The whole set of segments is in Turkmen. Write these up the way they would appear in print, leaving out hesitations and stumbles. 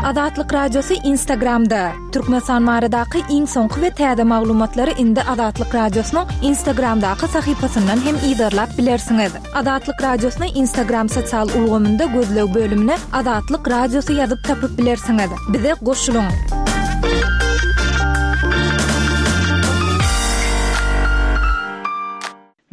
Azatlyk Radiosy Instagramda! Türkmenistan baradaky iň soňky we täze maglumatlary indi Azatlyk Radiosynyň Instagramdaky sahypasyndan hem yzarlap bilersiňiz. Azatlyk Radiosyny Instagram sosial ulgamynda gözleg bölümine Azatlyk Radiosy ýazyp tapyp bilersiňiz. Bize goşulyň!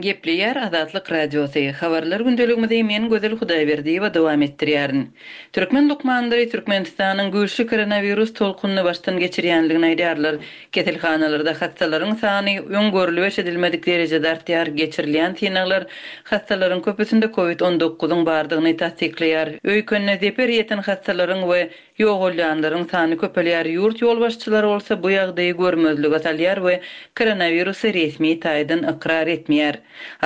Gepleýär Azatlyk Radiosy, Habarlar gündeligimizi men Gözel Hudaýberdiýewa dowam etdirýärin. Türkmen lukmanlary Türkmenistanyň güýçli koronawirus tolkunyny başdan geçirýändigini aýdýarlar. Keselhanalarda hassalaryň sany öň görlüp-eşidilmedik derejede artýar, geçirilýän synaglar hassalaryň köpüsinde covid on dokuzyň bardygyny tassyklaýar. Öýkenine zeper ýeten hassalaryň we Ýogalýanlaryň sany köpelýär, ýurt ýolbaşçylary bolsa bu ýagdaýy görmezlige salýar we koronawirusy resmi taýdan ykrar etmeýär.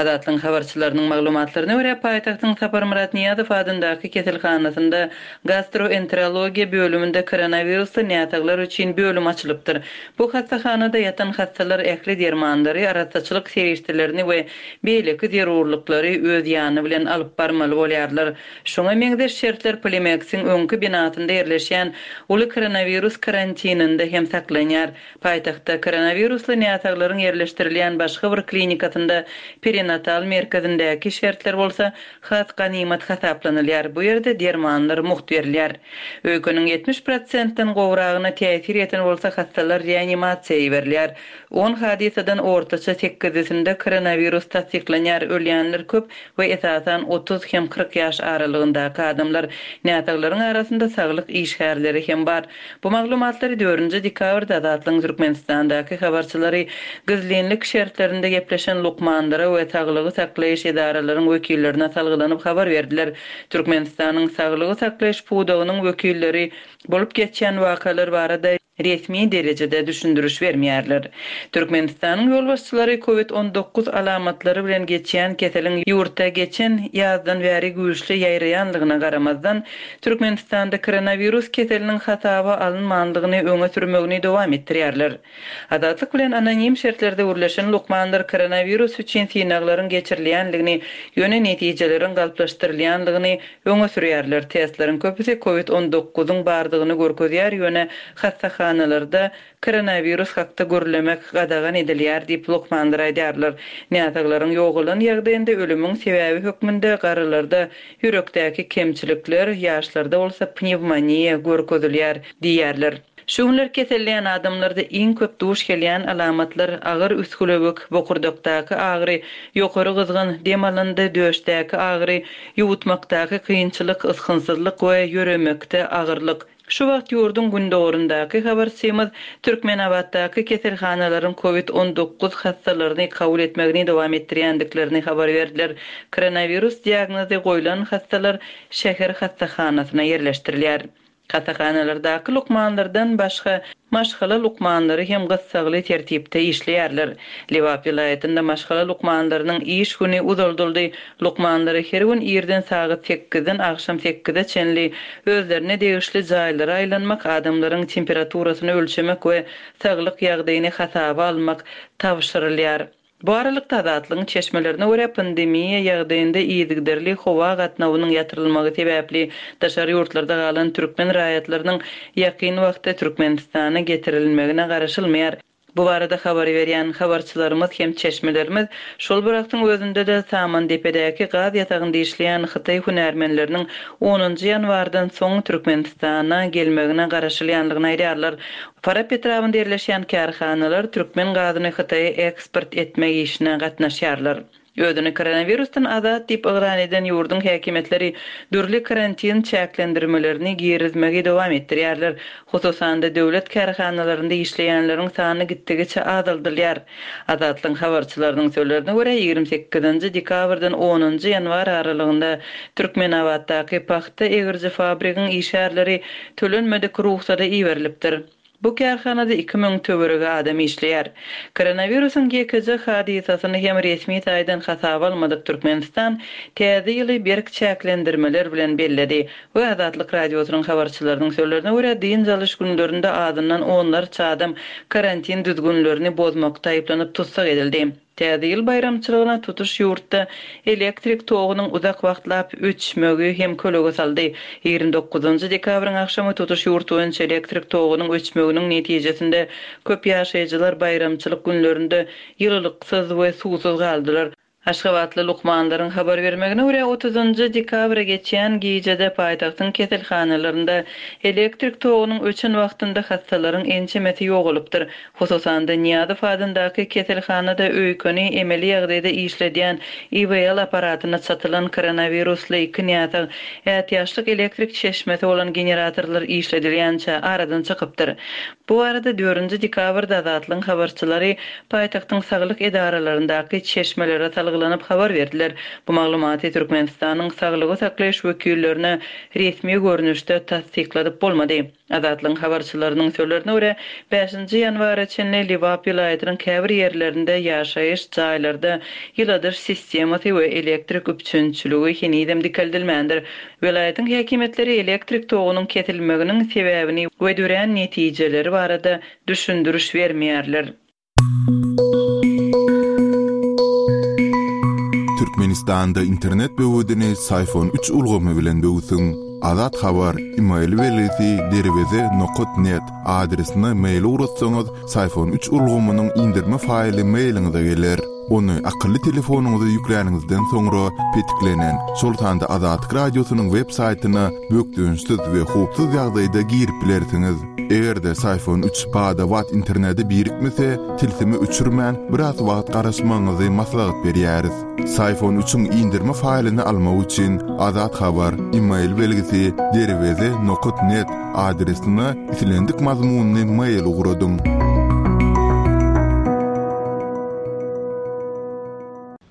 Azatlygyň habarçylarynyň maglumatlaryna görä, paýtagtyň Saparmyrat Nyýazow adyndaky keselhanasynda gastroenterologiýa bölüminde koronawirusly näsaglar üçin bölüm açylypdyr. Bu hassahanada ýatan hassalar ähli dermanlary, arassaçylyk serişdelerini we beýleki zerurlyklary öz ýany bilen alyp barmaly bolýarlar. Şuňa meňzeş şertler Polimeksiň öňki binasynda ýerleşýän uly koronawirus karantininde hem saklanýar. Paýtagtda koronawirusly näsaglaryň ýerleşdirilýän başga bir klinikasynda perinatal merkezindäki şertler bolsa has ganymat hasaplanylýar, bu ýerde dermanlar mugt berilýär. Öýkeniň 70 prosentden gowragyna täsir ýeten bolsa hassalar reanimasiýa iberilýär. On hadysadan ortaça sekizisinde koronawirus tassyklanýar, ölýänler köp we esasan 30 hem 40 ýaş aralygyndaky adamlar. Näsaglaryň arasynda saglyk işgärleri hem bar. Bu maglumatlary dördünji dekabrda Azatlygyň Türkmenistandaky habarçylary gizlinlik şertlerinde gepleşen lukmanlara we saglygy saklaýyş edaralaryň wekillerine salgylanyp habar berdiler. Türkmenistanyň saglygy saklaýyş pudagynyň wekilleri bolup geçýän wakalar barada resmi derejede düşündiriş bermeýärler. Türkmenistanyň ýolbaşçylary covid 19 alamatlary bilen geçýän keseliň ýurtda geçen ýazdan bäri güýçli ýaýraýanlygyna garamazdan, Türkmenistanda koronawirus keseliniň hasaba alynmandygyny öňe sürmegini dowam etdirýärler. Azatlyk bilen anonim şertlerde gürleşen lukmanlar koronawirus üçin synaglaryň geçirilýändigini, ýöne netijeleriň galplaşdyrylýandygyny Öňe sürýärler. Testleriň köpüsi covid on dokuzyň bardygyny görkezýär, ýöne hassahanalarda koronawirus hakda gürlemek gadagan edilýär diýip, lukmanlar aýdýarlar. Näsaglaryň ýogalan ýagdaýynda ölümiň sebäbi hökmünde garrylarda ýürekdäki kemçilikler, ýaşlarda bolsa pnewmoniýa görkezilýär diýýärler. Şu günler keselleýän adamlarda iň köp duş gelýän alamatlar agyr üsgülewük, bokurdakdaky agyry, ýokary gyzgyn, dem alanda döşdäki agyry, ýuwutmakdaky kynçylyk, ysgynsyzlyk we ýöremekde agyrlyk. Şu wagt ýurduň gündogaryndaky habarçymyz Türkmenabatdaky keselhanalaryň covid 19 hassalaryny kabul etmegini dowam etdirýändiklerini habar berdiler. Koronawirus diagnozy goýlan hassalar şäher hassahanasyna ýerleşdirilýär. Hassahanalardaky lukmanlardan başga, maşgala lukmanlary hem gyssagly tertipde işleýärler. Lebap welaýatynda maşgala lukmanlarynyň iş güni uzaldyldy. Lukmanlara her gün irden sagat sekizden agşam sekize çenli özlerine degişli jaýlara aýlanmak, adamlaryň temperaturasyny ölçemek we saglyk ýagdaýyny hasaba almak tabşyrylýar. Bu aralykda, Azatlygyň çeşmelerine görä, pandemiýa ýagdaýynda yzygiderli howa gatnawynyň ýatyrylmagy sebäpli daşary ýurtlarda galan türkmen raýatlarynyň ýakyn wagtda Türkmenistana getirilmegine garaşylmaýar. Bu barada habar berýän habarçylarymyz hem çeşmelerimiz şol bir wagtyň özünde-de Samandepedäki gaz ýatagynda işleýän hytaý hünärmenleriniň onunjy ýanwardan soň Türkmenistana gelmegine garaşylýandygyny aýdýarlar. Farap etrabynda ýerleşýän kärhanalar türkmen gazyny Hytaýa eksport etmek işine gatnaşýarlar. Özüni koronawirusdan azat diýip yglan eden ýurduň häkimiýetleri dürli karantin çäklendirmelerini girizmegi dowam etdirýärler. Hususan-da, döwlet kärhanalarynda işleýänleriň sany gitdigiçe azaldylýar. Azatlygyň habarçylarynyň sözlerine görä, 28-nji dekabrdan onunjy ýanwar aralygynda Türkmenabatdaky pagta egiriji fabrigiň işgärleri tölenmedik rugsada iberilipdir. Bu kärhanada 2000 töweregi adam işleýär. Koronawirusyň ýekeje hadysasyny hem resmi taýdan hasaba almadyk Türkmenistan Täze ýyly berk çäklendirmeler bilen belledi we Azatlyk Radiosynyň habarçylarynyň sözlerine görä, dynç alyş günlerinde azyndan onlarça adam karantin düzgünlerini bozmakda aýyplanyp tussag edildi. Täze ýyl baýramçylygyna tutuş ýurtda elektrik togunyň uzak wagtlap öçmegi hem kölege saldy. 29-njy dekabryň agşamy tutuş ýurt boýunça elektrik togunyň öçmeginiň netijesinde köp ýaşaýjylar baýramçylyk günlerinde ýylylyksyz we suwsuz galdylar. Aşgabatly lukmanlaryň habar bermegine görä, otuzynjy dekabra geçýän gijede paýtagtyň keselhanalarynda elektrik togunyň öçen wagtynda hassalaryň ençemesi ýogalypdyr. Hususan-da, Nyýazow adyndaky keselhanada öýkeni emeli ýagdaýda işledýän IWL apparatyna çatylan koronawirusly iki näsag ätiýaçlyk elektrik çeşmesi bolan generatorlar işledilýänçä aradan çykypdyr. Bu barada dördünji dekabrda Azatlygyň habarçylary paýtagtyň saglyk edaralaryndaky çeşmelere salgylanyp habar berdiler. Bu maglumaty Türkmenistanyň saglygy saklaýyş wekillerine resmi görnüşde tassykladyp bolmady. Azatlygyň habarçylarynyň sözlerine görä, bäşinji ýanwara çenli Lebap welaýatynyň käbir ýerlerinde ýaşaýyş jaýlarda ýyladyş sistemasy we elektrik üpjünçiligi henizem dikeldilmändir. Welaýatyň häkimiýetleri elektrik togunyň kesilmeginiň sebäbini we dörän netijeleri barada düşündiriş bermeýärler. Türkmenistanda internet böwedini Syfon üç ulgamy bilen böwsüň. Azat Habar, email belgisi derweze nokat net adresine mail ugratsaňyz, Syfon üç ulgamynyň indirme faýly mailiňize geler. Ony akylly telefonyňyza ýükläniňizden soňra petiklenen, şol sanda Azatlyk Radiosynyň web saýtyna bökdençsiz we howpsuz ýagdaýda girip bilersiňiz. Eger-de Syfon üç bada-bat internete birikmese, tilsimi öçürmän, biraz wagt garaşmagyňyzy maslahat berýäris. Syfon üçiň indirme faýlyny almak üçin Azat Habar, email belgisi derweze nokat net adresine islendik mazmunly mail ugradyň.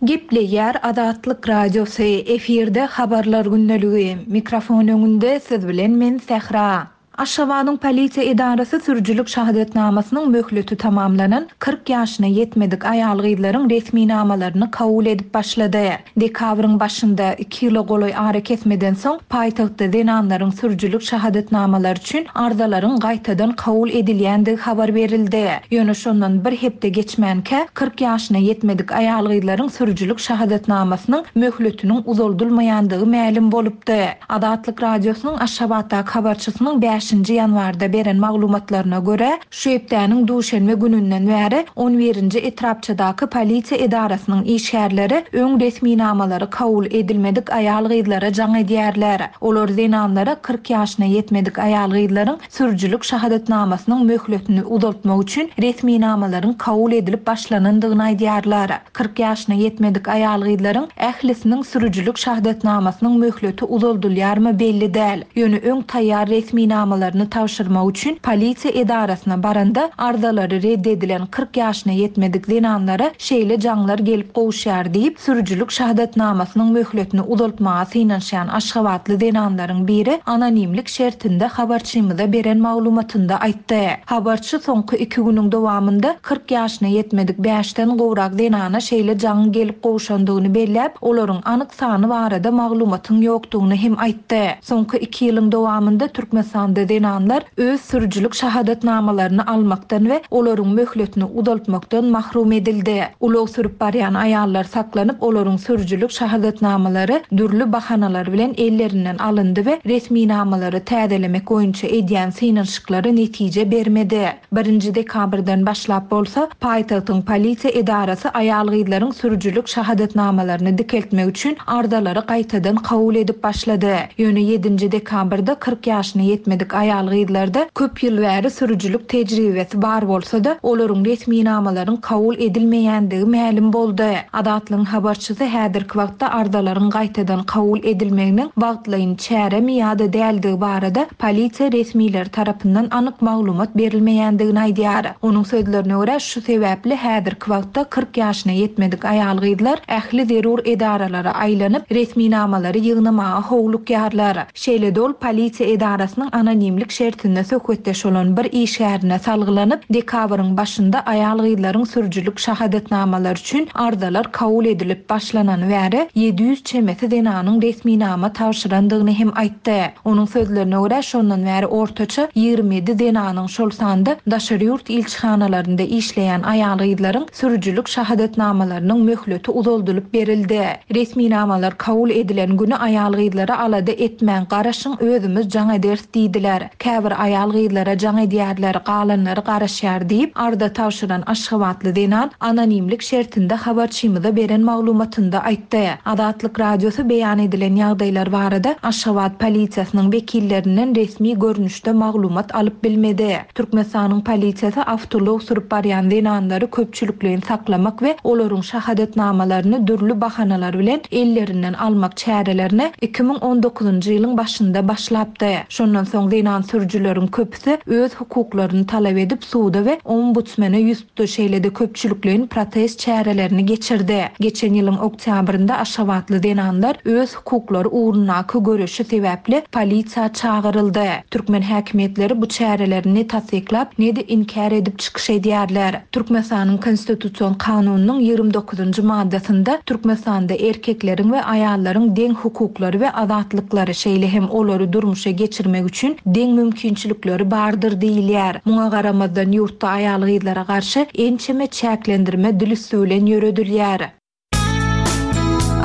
Gepleýär Azatlyk Radiosy, efirde Habarlar gündeligi. Mikrofon öňünde siz bilen men Sähra. Aşgabadyň polisiýa edarasy sürüjilik şahadatnamasynyň möhleti tamamlanan 40 ýaşyna ýetmedik aýal-gyzlaryň resminamalaryny kabul edip başlady. Dekabryň başynda, iki ýyla golaý arakesmeden soň, paýtagtda zenanlaryň sürüjilik şahadatnamalary üçin arzalaryň gaýtadan kabul edilýändigi habar berildi. Ýöne şondan bir hepde geçmänkä, 40 ýaşyna ýetmedik aýal-gyzlaryň sürüjilik şahadatnamasynyň möhletiniň uzaldylmaýandygy mälim bolupdy. Azatlyk Radiosynyň Aşgabatdaky habarçysynyň bäşinji ýanwarda beren maglumatlaryna görä, şu hepdäniň duşenbe gününden bäri on birinji etrapçadaky polisiýa edarasynyň işgärleri öň resminamalary kabul edilmedik aýal-gyzlara jaň edýärler. Olar zenanlara 40 ýaşyna ýetmedik aýal-gyzlaryň sürüjilik şahadatnamasynyň möhletini uzaltmak üçin resminamalaryň kabul edilip başlanandygyny aýdýarlar. 40 ýaşyna ýetmedik aýal-gyzlaryň ählisiniň sürüjilik şahadatnamasynyň möhleti uzaldylýarmy belli däl. Ýöne öň taýýar resminamalaryny tabşyrmak üçin polisiýa edarasyna baranda arzalary red edilen 40 ýaşyna ýetmedik zenanlara şeýle jaňlar gelip gowuşýar diýip, sürüjilik şahadatnamasynyň möhletini uzaltmaga synanyşýan aşgabatly zenanlaryň biri anonimlik şertinde habarçymyza beren maglumatynda aýtdy. Habarçy soňky iki günüň dowamynda 40 ýaşyna ýetmedik bäşden gowrak zenana şeýle jaňyň gelip gowşandygyny belläp, olaryň anyk sany barada maglumatyň ýokdugyny hem aýtdy. Soňky iki ýylyň dowamynda Türkmenistanda zenanlar öz sürüjilik şahadatnamalaryny almakdan we olaryň möhletini uzaltmakdan mahrum edildi. Ulag sürüp barýan aýallar saklanyp, olaryň sürüjilik şahadatnamalary dürli bahanalar bilen ellerinden alyndy we resminamalary täzelemek boýunça edýän synanyşyklary netije bermedi. Birinji dekabrdan başlap bolsa, paýtagtyň polisiýa edarasy aýal-gyzlaryň sürüjilik şahadatnamalaryny dikeltmek üçin arzalary gaýtadan kabul edip başlady. Ýöne ýedinji dekabrda 40 ýaşyna ýetmedik aýal-gyzlarda köp ýyl bäri sürüjilik tejribesi bar bolsa-da, olaryň resminamalaryň kabul edilmeýändigi mälim boldy. Azatlygyň habarçysy häzirki wagtda arzalaryň gaýtadan kabul edilmeginiň wagtlaýyn çäremi ýa-da däldigi barada polisiýa resmileri tarapyndan anyk maglumat berilmeýändigini aýdýar. Onuň sözlerine görä, şu sebäpli häzirki wagtda 40 ýaşyna ýetmedik aýal-gyzlar ähli zerur edaralara aýlanyp, resminamalary ýygnamaga howlukýarlar. Şeýle-de ol polisiýa edarasynyň anonim. anonimlik şertinde söhbetdeş bolan bir işgärine salgylanyp, dekabryň başynda aýal-gyzlaryň sürüjilik şahadatnamalary üçin arzalar kabul edilip başlanany bäri 700 çemesi zenanyň resminama tabşyrandygyny hem aýtdy. Onuň sözlerine görä, şondan bäri ortaça 27 zenanyň, şol sanda daşary ýurt ilçihanalarynda işleýän aýal-gyzlaryň sürüjilik şahadatnamalarynyň möhleti uzaldylyp berildi. Resminamalar kabul edilen güni aýal-gyzlara alada etmäň, garaşyň, özümiz jaň ederis diýdiler. Käbir aýal-gyzlara jaň edýärler, galanlary garaşýar diýip, arza tabşyran aşgabatly zenan anonimlik şertinde habarçymyza beren maglumatynda aýtdy. Azatlyk Radiosy beýan edilen ýagdaýlar barada Aşgabat polisiýasynyň wekillerinden resmi görnüşde maglumat alyp bilmedi. Türkmenistanyň polisiýasy awtoulag sürüp barýan zenanlary köpçülikleýin saklamak we olaryň şahadatnamalaryny dürli bahanalar bilen ellerinden almak çärelerine 2019-njy ýylyň başynda başlapdy. Şondan soň zenan sürüjileriň köpüsi öz hukuklaryny talap edip suda we ombudsmene ýüz tutdy, şeýle-de köpçülikleýin protest çärelerini geçirdi. Geçen ýylyň oktýabrynda aşgabatly zenanlar öz hukuklary ugrundaky göreşi sebäpli polisiýa çagyryldy. Türkmen häkimiýetleri bu çäreleri ne tassyklap, ne-de inkär edip çykyş edýärler. Türkmenistanyň Konstitusion kanunynyň 29-njy maddasynda Türkmenistanda erkekleriň we aýallaryň deň hukuklary we azatlyklary, şeýle hem olary durmuşa geçirmek üçin deň mümkinçilikleri bardyr diýilýär. Muňa garamazdan ýurtda aýal-gyzlara garşy ençeme çäklendirme dil üsti bilen ýöredilýär.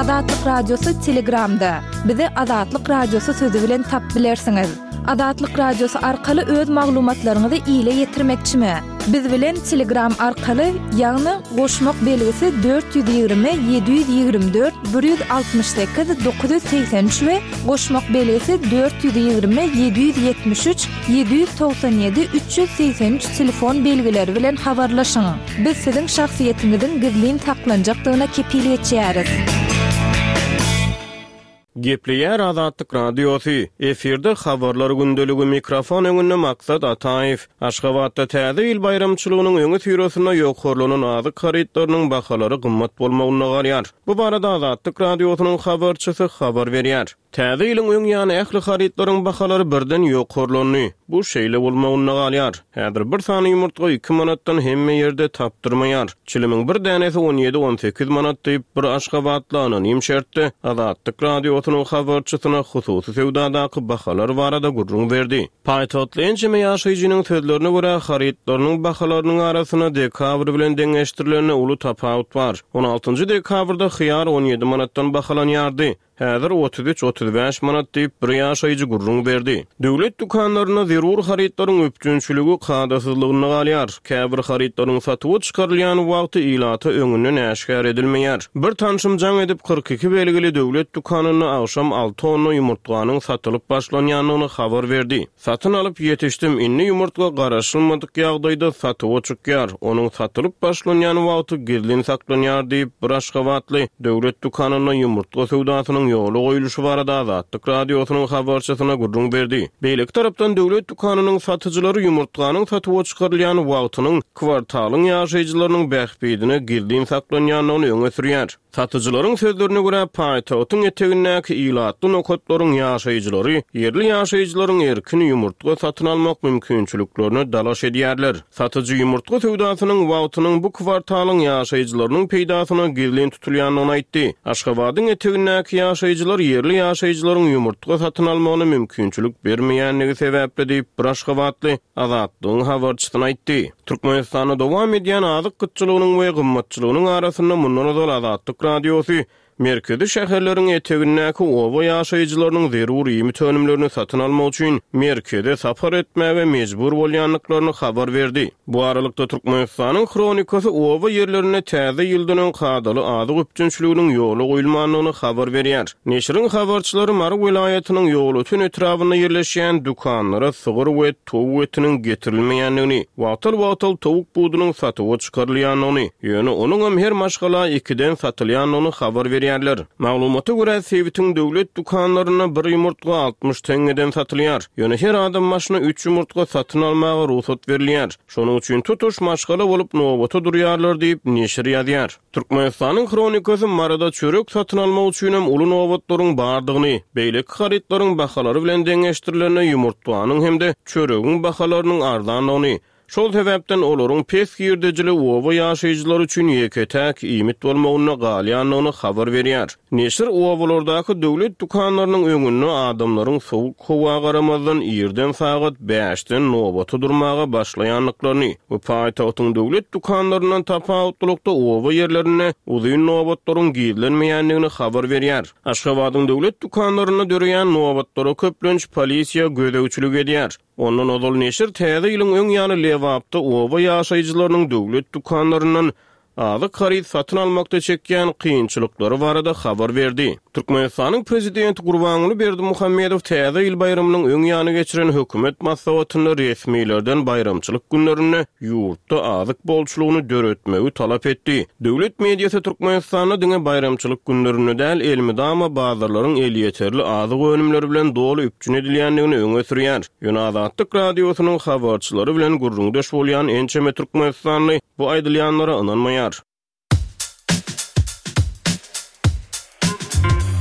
Azatlyk Radiosy Telegramda. Bizi Azatlyk Radiosy sözi bilen tapyp bilersiňiz. Azatlyk Radiosy arkaly öz maglumatlaryňyzy ile ýetirmekçimi? Biz bilen Telegram arkaly, ýagny goşmak belgisi 420 724 168 983 we goşmak belgisi 420 773 797 383 telefon belgileri bilen habarlaşyň. Biz siziň şahsyýetiňiziň gizlin saklanjakdygyna kepil geçýäris. Gepleýär Azatlyk Radiosy, Efirde Habarlar gündeligi, mikrofon öňünde Maksat Ataýew. Aşgabatda Täze ýyl baýramçylygynyň öňüsyrasynda ýokarlanan azyk harytlarynyň bahalary gymmat bolmagynda galýar. Bu barada Azatlyk Radiosynyň habarçysy habar berýär. Täze ýylyň öň ýany ähli harytlaryň bahalary birden ýokarlandy. Bu şeýle bolmagynda galýar. Häzir bir sany ýumurtga iki manatdan hemme ýerde tapdyrmaýar. Çilimiň bir dänesi on ýedi-on sekiz manat diýip, bir aşgabatly anonim şertde Azatlyk Radiosynyň habarçysyna hususy söwdadaky bahalar barada gürrüň berdi. Paýtagtly ençeme ýaşaýjynyň sözlerine görä, harytlarynyň bahalarynyň arasynda dekabr bilen deňeşdirilende uly tapawut bar. On altynjy dekabrda hyýar on ýedi manatdan bahalanýardy. Häzir 33, 35 manat diýip, bir ýaşaýjy gürrüň berdi. Döwlet dükanlarynda zerur harytlaryň üpjünçiligi kadasyzlygynda galýar. Käbir harytlaryň satuwa çykarylýan wagty ilata öňünden äşgär edilmeýär. Bir tanşym jaň edip, 42 belgili döwlet dükanynda agşam alty tonna ýumurtganyň satylyp başlanýandygyny habar berdi. Satyn alyp ýetişdim, indi ýumurtga garaşylmadyk ýagdaýda satuwa çykýar, onuň satylyp başlanýan wagty gizlin saklanýar diýip, bir aşgabatly döwlet dükanynda ýumurtga söwdasynyň ýola goýulyşy barada Azatlyk Radiosynyň habarçysyna gürrüň berdi. Beýleki tarapdan, döwlet dükanynyň satyjylary ýumurtganyň satuwa çykarylýan wagtynyň kwartalyň ýaşaýjylarynyň bähbidine gizlin saklanýandygyny öňe sürýär. Satyjylaryň sözlerine görä, paýtagtyň etegindäki ilatly nokatlaryň ýaşaýjylary ýerli ýaşaýjylaryň erkin ýumurtga satyn almak mümkinçiliklerine dalaş edýärler. Satyjy ýumurtga söwdasynyň wagtynyň bu kwartalyň ýaşaýjylarynyň peýdasyna gizlin tutulýandygyny aýtdy. Aşgabadyň etegindäki ýaşaýjylar ýerli ýaşaýjylaryň ýumurtga satyn almagyna mümkinçilik bermeýändigi sebäpli diýip, bir aşgabatly Azatlygyň habarçysyna aýtdy. Türkmenistanda dowam edýän azyk gytçylygynyň we gymmatçylygynyň arasynda mundan ozal Azatlyk Radiosy merkezi şäherleriň etegindäki oba ýaşaýjylarynyň zerur iýmit önümlerini satyn almak üçin merkeze sapar etmäge mejbur bolýandyklaryny habar berdi. Bu aralykda, Türkmenistanyň Hronikasy oba ýerlerinde täze ýyldan öň kadaly azyk üpjünçiliginiň ýola goýulmandygyny habar berýär. Neşiriň habarçylary Mary welaýatynyň Ýolöten etrabynda ýerleşýän dükanlara sygyr we towuk etiniň getirilmeýändigini, wagtal-wagtal towuk budunyň satuwa çykarylýandygyny, ýöne onuňam her maşgala ikiden satylýandygyny habar berýärler. edýärler. Maglumata görä, sebitiň döwlet dükanlarynda bir ýumurtga 60 teňňeden satylýar. Ýöne her adam başyna üç ýumurtga satyn almaga rugsat berilýär. Şonuň üçin tutuş maşgala bolup nobata durýarlar diýip, neşir ýazýar. Türkmenistanyň Hronikasy Maryda çörek satyn almak üçinem uly nobatlaryň bardygyny, beýleki harytlaryň bahalary bilen deňeşdirilende ýumurtganyň hem-de çöregiň bahalarynyň arzandygyny, şol sebäpden olaryň pes girdejili oba ýaşaýjylary üçin ýeke-täk iýmit bolmagynda galýandygyny habar berýär. Neşir obalardaky döwlet dükanlarynyň öňünde adamlaryň sowuk howa garamazdan irden sagat bäşden nobata durmaga başlaýandyklaryny we paýtagtyň döwlet dükanlaryndan tapawutlylykda oba ýerlerinde uzyn nobatlaryň gizlenmeýändigini habar berýär. Aşgabadyň döwlet dükanlarynda döreýän nobatlara köplenç polisiýa gözegçilik edýär. Ondan ozal neşir Täze ýylyň öň ýany Lebapda oba ýaşaýjylarynyň döwlet dükanlaryndan azyk haryt satyn almakda çekýän kynçylyklary barada habar berdi. Türkmenistanyň Prezidenti Gurbanguly Berdimuhamedow Täze ýyl baýramynyň öň ýany geçiren hökümet maslahatynda resmilerden baýramçylyk günlerinde ýurtda azyk bolçulygyny döretmegi talap etdi. Döwlet mediasy Türkmenistanda diňe baýramçylyk günlerinde däl, elmydama bazarlaryň elýeterli azyk önümleri bilen doly üpjün edilýändigini öňe sürýär. Ýöne Azatlyk Radiosynyň habarçylary bilen gürrüňdeş bolýan ençeme türkmenistanly bu aýdylýanlara ynanmaýar.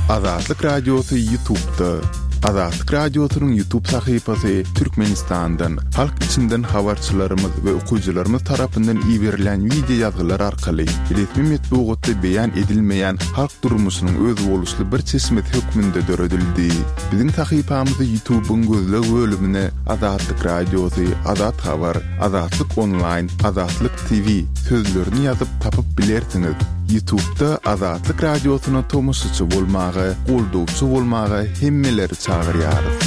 Azatlyk Radiosy Ýutubda. Azatlyk Radiosynyň Ýutub sahypasy Türkmenistandan, halk içinden habarçylarymyz we okyjylarymyz tarapyndan iberilen wideo ýazgylar arkaly resmi metbugatda beýan edilmeýän halk durmuşynyň özboluşly bir çeşmesi hökmünde döredildi. Biziň sahypamyzy Ýutubyň gözleg bölümine Azatlyk Radiosy, Azat Habar, Azatlyk Onlaýn, Azatlyk TV sözlerini ýazyp tapyp bilersiňiz. Ýutubda Azatlyk Radiosyna tomaşaçy bolmaga, goldawçy bolmaga hemmeleri çagyrýarys.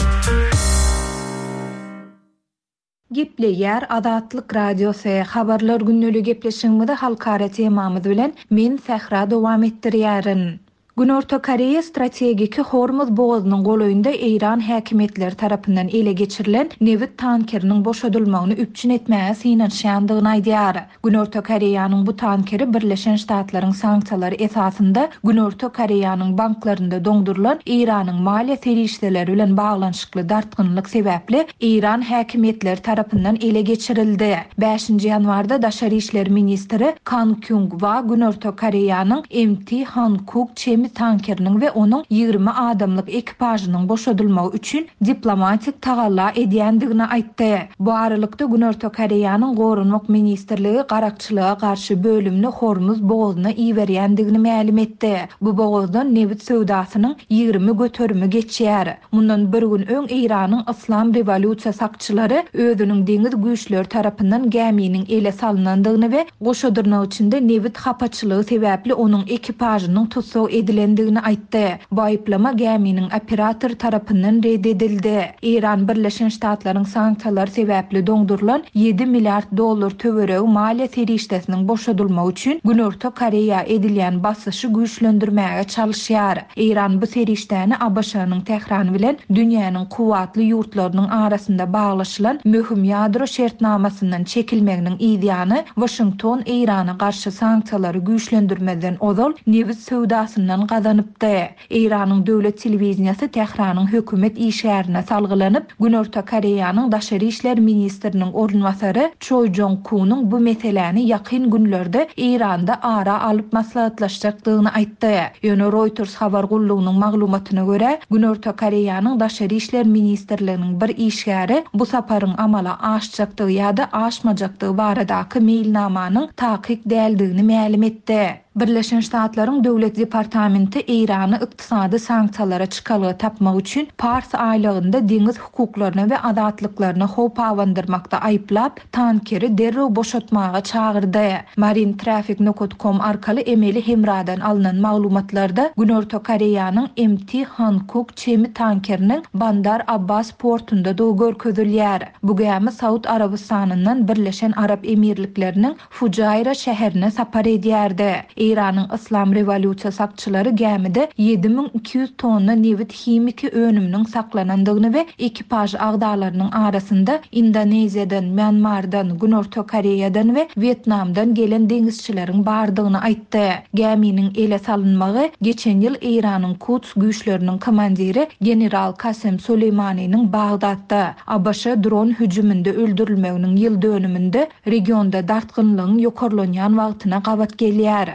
Gepleýär Azatlyk Radiosy, Habarlar gündeli gepleşigimizi halkara temamyz bilen men Sähra dowam etdirýärin. Günorta Koreýa strategiki Hormuz bogazynyň golaýynda eýran häkimiýetleri tarapyndan ele geçirilen nebit tankeriniň boşadylmagyny üpjün etmäge synanyşýandygyny aýdýar. Günorta Koreýanyň bu tankeri Birleşen Ştatlaryň sanksiýalary esasynda Günorta Koreýanyň banklarynda doňdurylan Eýranyň maliýe serişdeleri bilen baglanyşykly dartgynlyk sebäpli eýran häkimiýetleri tarapyndan ele geçirildi. Bäşinji ýanwarda daşary işler ministri Kan Kýung Wa Günorta Koreýanyň MT Hankuk Çemi tankeriniň we onuň 20 adamlyk ekipažynyň boşadylmagy üçin diplomatik tagalla edýändigini aýtdy. Bu aralykda, Günorta Koreýanyň Goranmak ministrligi garakçylyga garşy bölümini Hormuz bogazyna iberýändigini mälim etdi. Bu bogazdan nebit söwdasynyň 20 göterimi geçýär. Mundan bir gün öň Eýranyň Yslam rewolýusiýa sakçylary özüniň deňiz güýçleri tarapyndan gäminiň ele salnandygyny we goşa dyrnak içinde nebit hapaçylygy sebäpli onuň ekipažynyň tussag edilendigini aýtdy. Bu aýyplama gäminiň operatory tarapyndan ret edildi. Eýran Birleşen Ştatlaryň sanksiýalary sebäpli doňdurylan ýedi milliard dollar töweregi maliýe serişdesiniň boşadylmagy üçin Günorta Koreýa edilýän basyşy güýçlendirmäge çalyşýar. Eýran bu serişdäni ABŞ-nyň Tähran bilen dünýäniň kuwwatly ýurtlarynyň arasynda baglaşylan möhüm ýadro şertnamasyndan çekilmeginiň yzýany Waşington Eýrana garşy sanksiýalary güýçlendirmezden ozal nebit söwdasyndan gazanypdy. Eýranyň döwlet telewideniýesi Tähranyň hökümet işgärine salgylanyp, Günorta Koreýanyň daşary işler ministriniň orunbasary Çoi Jong Kunyň bu meseläni ýakyn günlerde Eýranda ara alyp maslahatlaşjakdygyny aýtdy. Ýöne Reuters habar gullugynyň maglumatyna görä, Günorta Koreýanyň Daşary işler ministrliginiň bir işgäri bu saparyň amala aşjakdygy ýa-da aşmajakdygy baradaky meýilnamanyň takyk däldigini mälim etdi. Birleşen Ştatlaryň Döwlet departamenti Eýrany ykdysady sanksiýalara çykalga tapmak üçin Pars aýlagynda deňiz hukuklaryna we azatlyklaryna howp abandyrmakda aýyplap, tankeri derrew boşatmaga çagyrdy. Marine Traffic nokat com arkaly emeli hemradan alnan maglumatlarda Günorta Koreýanyň MT Hankuk Çemi tankeriniň Bandar Abbas portundadygy görkezilýär. Bu gämi Saud Arabystanyndan Birleşen Arap Emirlikleriniň Fujaýra şäherine sapar edýärdi. Eýranyň Yslam rewolýusiýa sakçylary gämide 7200 tonna nebit himiki önüminiň saklanandygyny we ekipaž agzalarynyň arasynda Indoneziýadan, Mýanmardan, Günorta Koreýadan we Wýetnamdan gelen deňizçileriň bardygyny aýtdy. Gäminiň ele salynmagy geçen ýyl Eýranyň Kuds güýçleriniň komandiri general Kasem Soleýmanynyň Bagdatda, ABŞ dron hüjüminde öldürilmeginiň ýyl dönüminde regionda dartgynlygyň ýokarlanýan wagtyna gabat gelýär.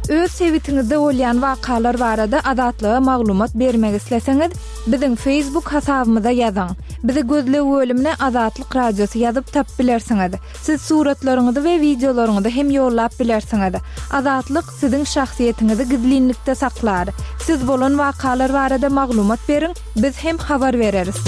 Öz sebitiňizde bolýan wakalar barada Azatlyga maglumat bermek isleseňiz, biziň Facebook hasabymyza ýazyň. Bizi gözleg bölümine Azatlyk Radiosy ýazyp tapyp bilersiňiz. Siz suratlaryňyzy we wideolaryňyzy hem ýollap bilersiňiz. Azatlyk siziň şahsyýetiňizi gizlinlikde saklar. Siz bolan wakalar barada maglumat beriň, biz hem habar bereris.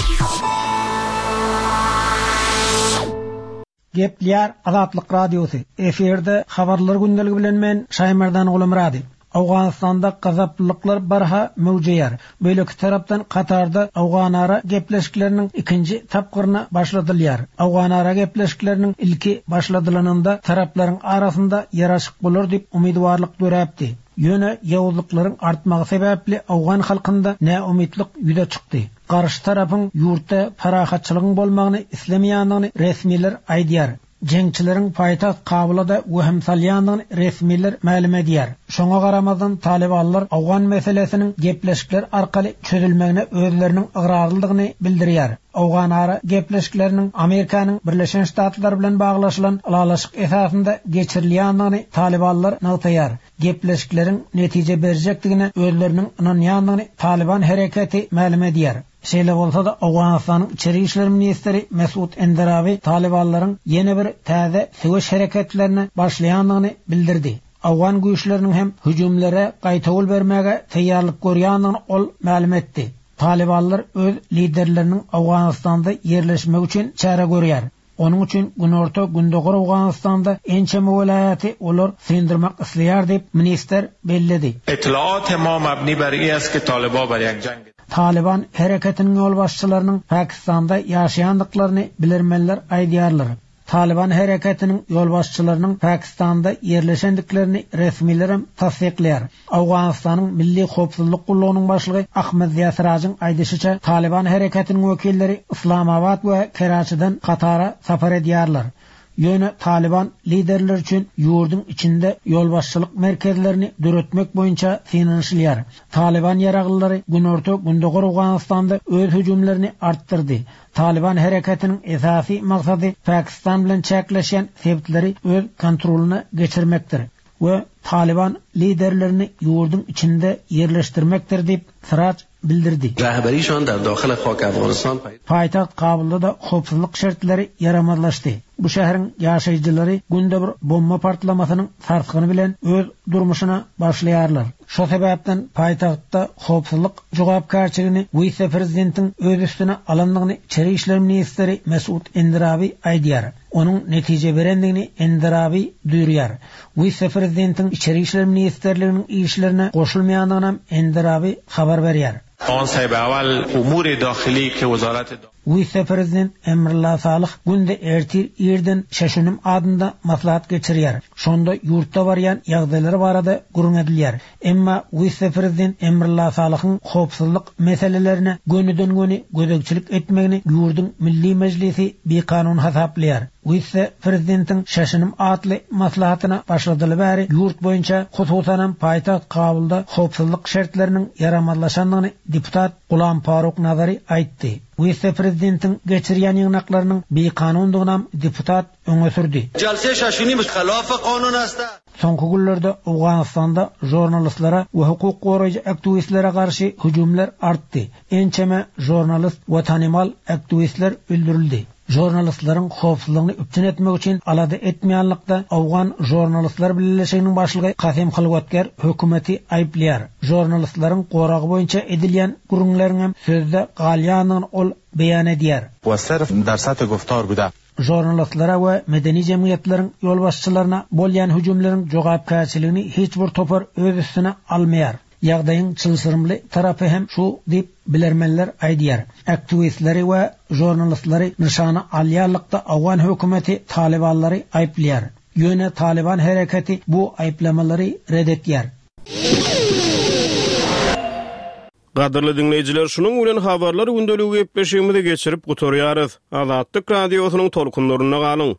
Gepleýär Azatlyk Radiosy, efirde Habarlar gündeligi bilen men Şaýmerdan Gulumyrady. Owganystanda gazaplylyklar barha möwjeýär. Beýleki tarapdan Katarda owganara gepleşikleriniň ikinji tapgyryna başladylýar. Owganara gepleşikleriniň ilki başladylanynda taraplaryň arasynda ýaraşyk bolar diýip umydybarlyk döräpdi. Ýöne ýowuzlyklaryň artmagy sebäpli owgan halkynda näumytlyk ýüze çykdy. Garşy tarapyň ýurtda parahatçylygyň bolmagyny islemeýändigini resmiler aýdýar. Jeňçileriň paýtagt Kabula-da wehim salýandygyny resmiler mälim edýär. Şoňa garamazdan, talybanlar owgan meselesiniň gepleşikler arkaly çözülmegine özleriniň ygrarlydygyny bildirýär. Owganara gepleşikleriniň Amerikanyň Birleşen Ştatlary bilen baglaşylan ylalaşyk esasynda geçirilýändigini talybanlar nygtaýar. Gepleşikleriň netije berjekdigine özleriniň ynanýandygyny Talyban hereketi mälim edýär. Şeýle bolsa-da, Owganystanyň içeri işler ministri Mesut Enderabi talybanlaryň ýene bir täze söweş hereketlerine başlaýandygyny bildirdi. Owgan güýçleriniň hem hüjümlere gaýtawul bermäge taýýarlyk görýändigini ol mälim etdi. Talybanlar öz liderleriniň Owganystanda ýerleşmegi üçin çäre görýär. Onuň üçin günorta-gündogar Owganystanda ençeme welaýaty olar syndyrmak isleýär diýip, ministr belledi. Etlaat ma mabni bar i ast ke taliba bar yak jang. Talyban hereketiniň ýolbaşçylarynyň Pakistanda ýaşaýandyklaryny bilermenler aýdýarlar. Talyban hereketiniň ýolbaşçylarynyň Pakistanda ýerleşendiklerini resmilerem tassyklaýar. Owganystanyň Milli howpsuzlyk gullugynyň başlygy Ahmed Ziýa Sirajyň aýdyşyça, Talyban hereketiniň wekilleri Yslamabat we Keraçiden Katara sapar edýärler. Ýöne Talyban liderleri üçin ýurduň içinde ýolbaşçylyk merkezlerini döretmek boýunça synanyşylýar. Talyban ýaraglylary günorta-gündogar Owganystanda öz hüjümlerini artdyrdy. Talyban hereketiniň esasy maksady Pakistan bilen çäkleşýän sebitleri öz kontrolyna geçirmekdir. we Talyban liderlerini ýurduň içinde ýerleşdirmekdir diýip, Siraç bildirdi. Paýtagt Kabulda-da howpsuzlyk şertleri ýaramazlaşdy. Bu şäheriň ýaşaýjylary günde bir bomba partlamasynyň sarsgyny bilen öz durmuşyna başlaýarlar. Şo sebäpden paýtagtda howpsuzlyk jogapkärçiligini wise-prezidentiň öz üstüne alandygyny içeri işler ministri Mesut Endirabi aýdýar. Onuň netije berendigini Enderabi duýurýar. Wise-prezidentiň Içeri işler ministrliginiň işlerine goşulmaýandygynam Enderabi habar berýär. Wise-prezident Emrullah Salyh günde ertir irden Şeşunim adynda maslahat geçirýär. Şonda ýurtda barýan ýagdaýlar barada gürrüň edilýär. Emma wise-prezident Emrullah Salyhyň howpsuzlyk meselelerine gönüden-göni gözegçilik etmegini ýurduň Milli Mejlisi bikanun hasaplaýar. Wise-prezidentiň Şaşynym atly maslahatyna başladaly bäri ýurt boýunça, hususanam paýtagt Kabulda howpsuzlyk şertleriniň ýaramazlaşandygyny deputat Gulam Faruk Nazary aýtdy. Wise-prezidentiň geçirýän ýygnaklarynyň bikanundygynam deputat öňe sürdi. Soňky günlerde Owganystanda žurnalistlere we hukuk goraýjy aktiwistlere garşy hüjümler artdy. Ençeme žurnalist we tanymal aktiwistler öldürildi. Žurnalistleriň howpsuzlygyny üpjün etmek üçin alada etmeýänlikde Owgan žurnalistler bileleşiginiň başlygy Kasym Hylwatger hökümeti aýyplaýar. Žurnalistleriň goragy boýunça edilýän gürrüňleriňem sözde galýandygyny ol beýan edýär. Žurnalistlere we medeni jemgyýetleriň ýolbaşçylaryna bolýan hüjümleriň jogapkärçiligini hiç bir topar öz üstüne almaýar. Ýagdaýyň çylşyrymly tarapy hem şu diýip, bilermenler aýdýar. Aktiwistleri we žurnalistleri nyşana alýanlykda owgan hökümeti talybanlary aýyplaýar. Ýöne Talyban hereketi bu aýyplamalary ret etýär. Gadyrly diňleýjiler, şunuň bilen Habarlar gündeligi gepleşigimizi geçirip gutarýarys. Azatlyk Radiosynyň tolkunlarynda galyň!